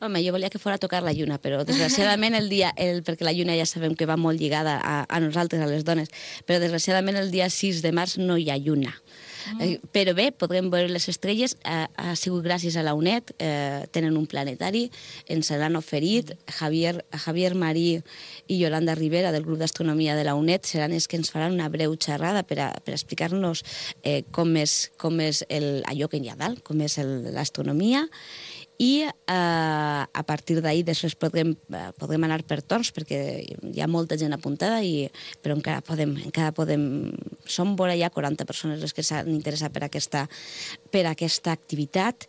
Home, jo volia que fos a tocar la lluna, però desgraciadament perquè la lluna ja sabem que va molt lligada a nosaltres, a les dones, però desgraciadament el dia 6 de març no hi ha lluna. Però bé, podrem veure les estrelles, ha sigut gràcies a la UNED, tenen un planetari, ens l'han oferit, Javier Marí i Yolanda Rivera del grup d'astronomia de la UNED seran els que ens faran una breu xerrada per explicar-nos com és allò que hi ha dalt, com és l'astronomia, i a partir d'ahir després podrem anar per torns perquè hi ha molta gent apuntada, però encara podem... Som vora ja 40 persones les que s'han interessat per aquesta activitat.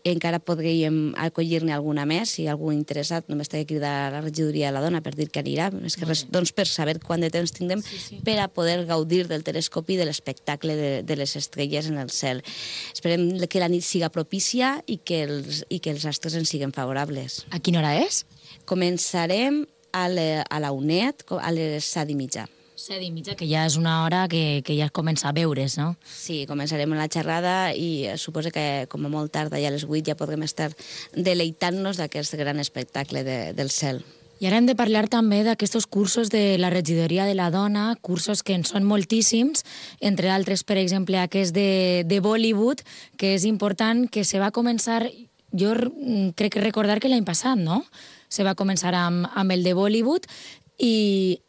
Encara podríem acollir-ne alguna més, si algú interessat, només té que cridar a la regidoria de la dona per dir que anirà, més que res, doncs per saber quant de temps tindrem per a poder gaudir del telescopi i de l'espectacle de les estrelles en el cel. Esperem que la nit siga propícia i que els astres en siguin favorables. A quina hora és? Començarem a la UNED a les 7:30. 7:30, que ja és una hora que ja comença a veure's, no? Sí, començarem la xerrada i suposo que com a molt tard, ja a les 8, ja podrem estar deleitant-nos d'aquest gran espectacle del cel. I ara hem de parlar també d'aquests cursos de la regidoria de la dona, cursos que en són moltíssims, entre altres, per exemple, aquest de Bollywood, que és important, que se va començar, jo crec que recordar que l'any passat, no? Se va començar amb el de Bollywood i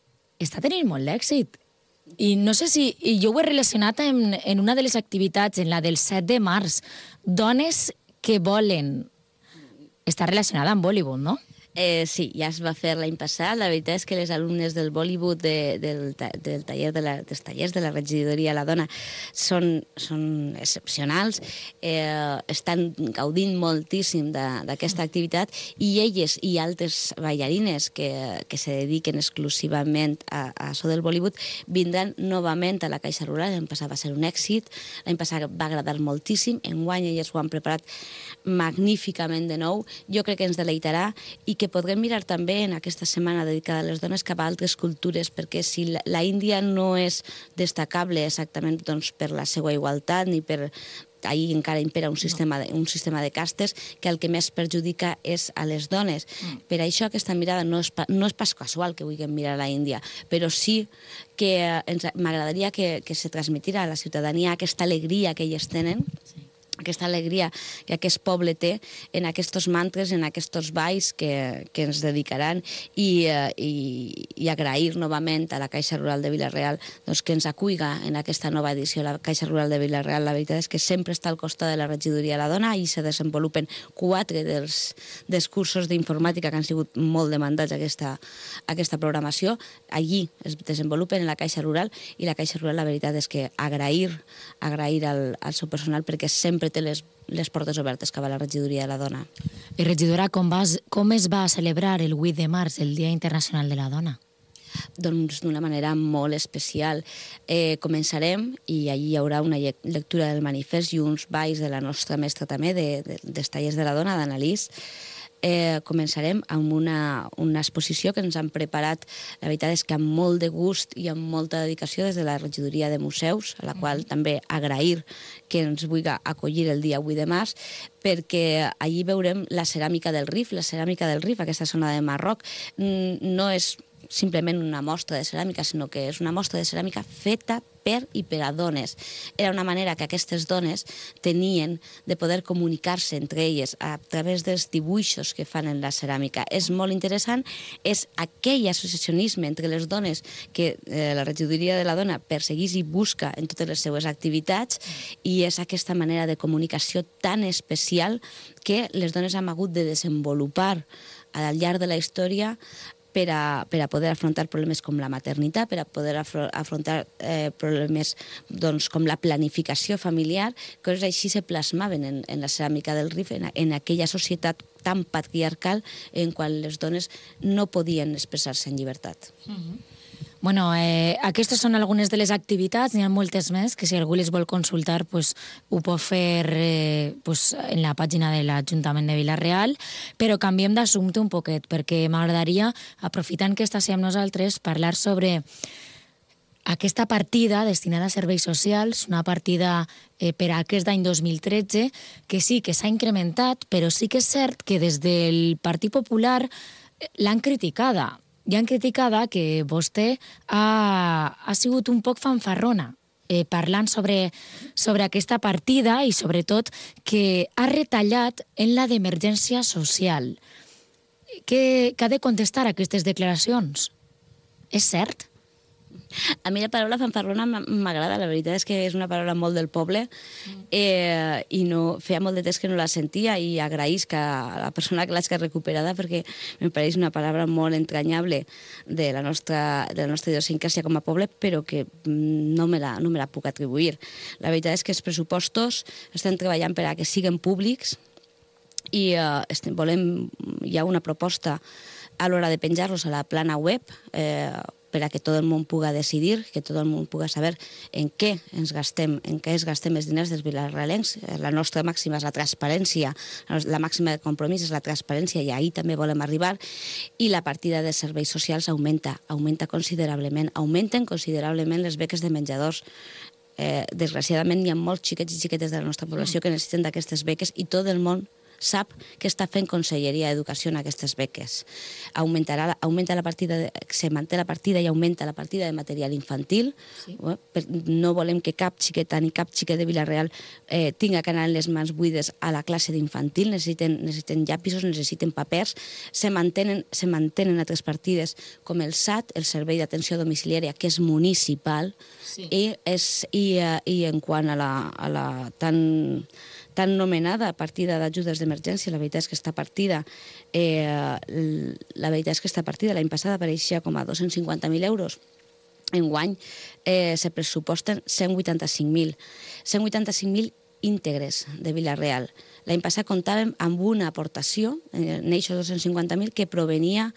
està tenint molt d'èxit. I no sé si... I jo ho he relacionat en una de les activitats, en la del 7 de març. Dones que volen... Està relacionada amb Bollywood, no? Sí, ja es va fer l'any passat. La veritat és que les alumnes del Bollywood dels tallers de la regidoria de la dona són excepcionals, estan gaudint moltíssim d'aquesta activitat i elles i altres ballarines que se dediquen exclusivament a això del Bollywood vindran novament a la Caixa Rural. L'any passat va ser un èxit, l'any passat va agradar moltíssim, enguany elles ho han preparat magníficament de nou. Jo crec que ens deleitarà i que podrem mirar també en aquesta setmana dedicada a les dones cap a altres cultures, perquè si la Índia no és destacable exactament per la seva igualtat ni per... Ahir encara impera un sistema de castes que el que més perjudica és a les dones. Per això aquesta mirada no és pas casual que vulguem mirar a la Índia, però sí que m'agradaria que se transmetirà a la ciutadania aquesta alegria que elles tenen, aquesta alegria que aquest poble té en aquests mantres, en aquests balls que ens dedicaran i agrair novament a la Caixa Rural de Vila-real que ens acuiga en aquesta nova edició. La Caixa Rural de Vila-real, la veritat és que sempre està al costat de la regidoria de la dona i se desenvolupen 4 dels cursos d'informàtica que han sigut molt demandats a aquesta programació. Allí es desenvolupen en la Caixa Rural i la Caixa Rural, la veritat és que agrair al seu personal perquè sempre té les portes obertes cap a la regidoria de la dona. I regidora, com es va celebrar el 8 de març, el Dia Internacional de la Dona? Doncs d'una manera molt especial. Començarem i allí hi haurà una lectura del manifest i uns balls de la nostra mestra també, dels tallers de la dona, d'Annalís. Començarem amb una exposició que ens han preparat, la veritat és que amb molt de gust i amb molta dedicació des de la regidoria de museus, a la qual també agrair que ens vulgui acollir el dia 8 de març, perquè allí veurem la ceràmica del Rif. La ceràmica del Rif, aquesta zona de Marroc, no és simplement una mostra de ceràmica, sinó que és una mostra de ceràmica feta per i per a dones. Era una manera que aquestes dones tenien de poder comunicar-se entre elles a través dels dibuixos que fan en la ceràmica. És molt interessant, és aquell associacionisme entre les dones que la regidoria de la dona perseguís i busca en totes les seues activitats i és aquesta manera de comunicació tan especial que les dones han hagut de desenvolupar al llarg de la història per a poder afrontar problemes com la maternitat, per a poder afrontar problemes com la planificació familiar, coses així se plasmaven en la ceràmica del Rif, en aquella societat tan patriarcal en qual les dones no podien expressar-se en llibertat. Bueno, aquestes són algunes de les activitats, n'hi ha moltes més, que si algú les vol consultar ho pot fer en la pàgina de l'Ajuntament de Vila-real, però canviem d'assumpte un poquet, perquè m'agradaria, aprofitant que estàs amb nosaltres, parlar sobre aquesta partida destinada a serveis socials, una partida per a aquest any 2013, que sí que s'ha incrementat, però sí que és cert que des del Partit Popular l'han criticada. I han criticada que vostè ha sigut un poc fanfarrona parlant sobre aquesta partida i sobretot que ha retallat en la d'emergència social. Què ha de contestar a aquestes declaracions? És cert? A mi la paraula fanfarrona m'agrada, la veritat és que és una paraula molt del poble i feia molt de temps que no la sentia i agraïsc a la persona que l'ha recuperada perquè em pareix una paraula molt entranyable de la nostra idiosincràsia com a poble, però que no me la puc atribuir. La veritat és que els pressupostos estem treballant per a que siguin públics i hi ha una proposta a l'hora de penjar-los a la plana web per a que tot el món puga decidir, que tot el món puga saber en què es gastem els diners dels vilarealencs. La nostra màxima és la transparència, la màxima de compromís és la transparència i ahir també volem arribar, i la partida de serveis socials augmenta considerablement, augmenten considerablement les beques de menjadors. Desgraciadament hi ha molts xiquets i xiquetes de la nostra població que necessiten d'aquestes beques i tot el món sap que està fent Conselleria d'Educació en aquestes beques. Se manté la partida i augmenta la partida de material infantil. Sí. No volem que cap xiqueta ni cap xiquet de Vila-real tinga que anar amb les mans buides a la classe d'infantil. Necessiten llapisos, necessiten papers. Se mantenen altres partides com el SAT, el Servei d'Atenció Domiciliària, que és municipal, sí. I en quant a la tan nomenada partida d'ajudes d'emergència, la veritat és que aquesta partida l'any passada apareixia com a 250.000 euros. Enguany se pressuposten 185.000. 185.000 íntegres de Vila-real. L'any passat comptàvem amb una aportació, en aquests 250.000, que provenia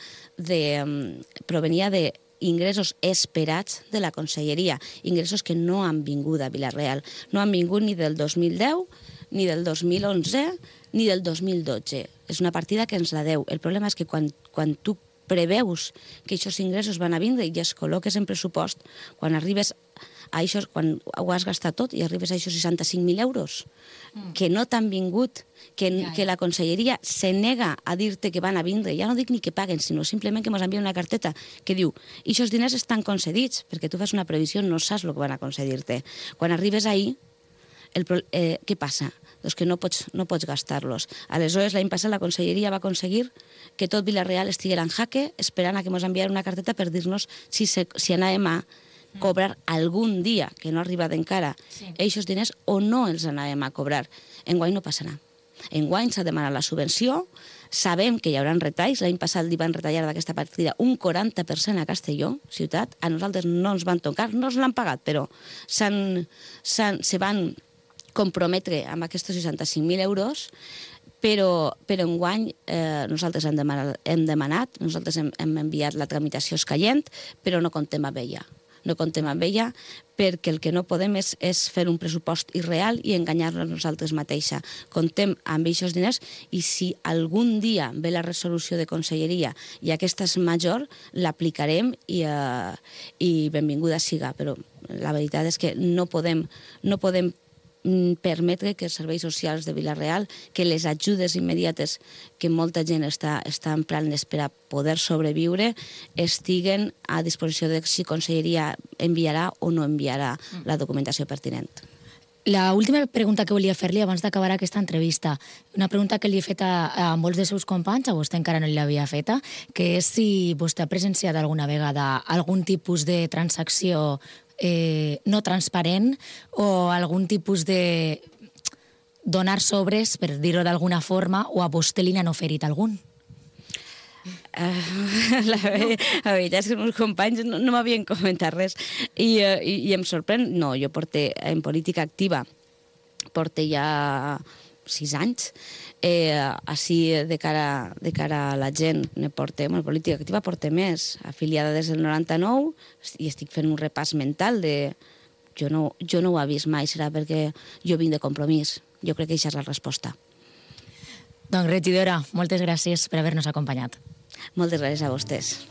de ingressos esperats de la Conselleria, ingressos que no han vingut a Vila-real. No han vingut ni del 2010, ni del 2011, ni del 2012. És una partida que ens la deu. El problema és que quan tu preveus que aquests ingressos van a vindre i els col·loques en pressupost, quan arribes a això, quan ho has gastat tot i arribes a aquests 65.000 euros, que no t'han vingut, que la Conselleria se nega a dir-te que van a vindre, ja no dic ni que paguen, sinó simplement que ens envien una carteta que diu aquests diners estan concedits, perquè tu fas una previsió, no saps el que van a concedir-te. Quan arribes ahí, què passa? Doncs que no pots gastar-los. Aleshores, l'any passat la Conselleria va aconseguir que tot Vila-real estiguera en jaque esperant a que ens enviara una carteta per dir-nos si anàvem a cobrar algun dia, que no ha arribat encara, aquests diners o no els anàvem a cobrar. Enguany no passarà. Enguany s'ha demanat la subvenció, sabem que hi haurà retalls, l'any passat li van retallar d'aquesta partida un 40% a Castelló, ciutat, a nosaltres no ens van tocar, no ens l'han pagat, però se van comprometre amb aquests 65.000 euros, però enguany nosaltres hem demanat, nosaltres hem enviat la tramitació escaient, però no comptem amb ella. No comptem amb ella perquè el que no podem és fer un pressupost irreal i enganyar-nos nosaltres mateixa. Comptem amb aquests diners i si algun dia ve la resolució de Conselleria i aquesta és major, l'aplicarem i benvinguda siga. Però la veritat és que no podem permetre que els serveis socials de Vila-real, que les ajudes immediates que molta gent està emprant per a poder sobreviure, estiguen a disposició de si Conselleria enviarà o no enviarà la documentació pertinent. La última pregunta que volia fer-li abans d'acabar aquesta entrevista, una pregunta que li he fet a molts dels seus companys, a vostè encara no l'havia feta, que és si vostè ha presenciat alguna vegada algun tipus de transacció no transparent o algun tipus de donar sobres, per dir-ho d'alguna forma, o a vostè li n'han oferit algun? La veritat és que els meus companys no m'havien comentat res i em sorprèn. No, jo en política activa porto ja 6 anys. Així, de cara a la gent, política activa porta més, afiliada des del 99, i estic fent un repàs mental de... Jo no ho he vist mai, serà perquè jo vinc de Compromís. Jo crec que aquesta és la resposta. Doncs, regidora, moltes gràcies per haver-nos acompanyat. Moltes gràcies a vostès.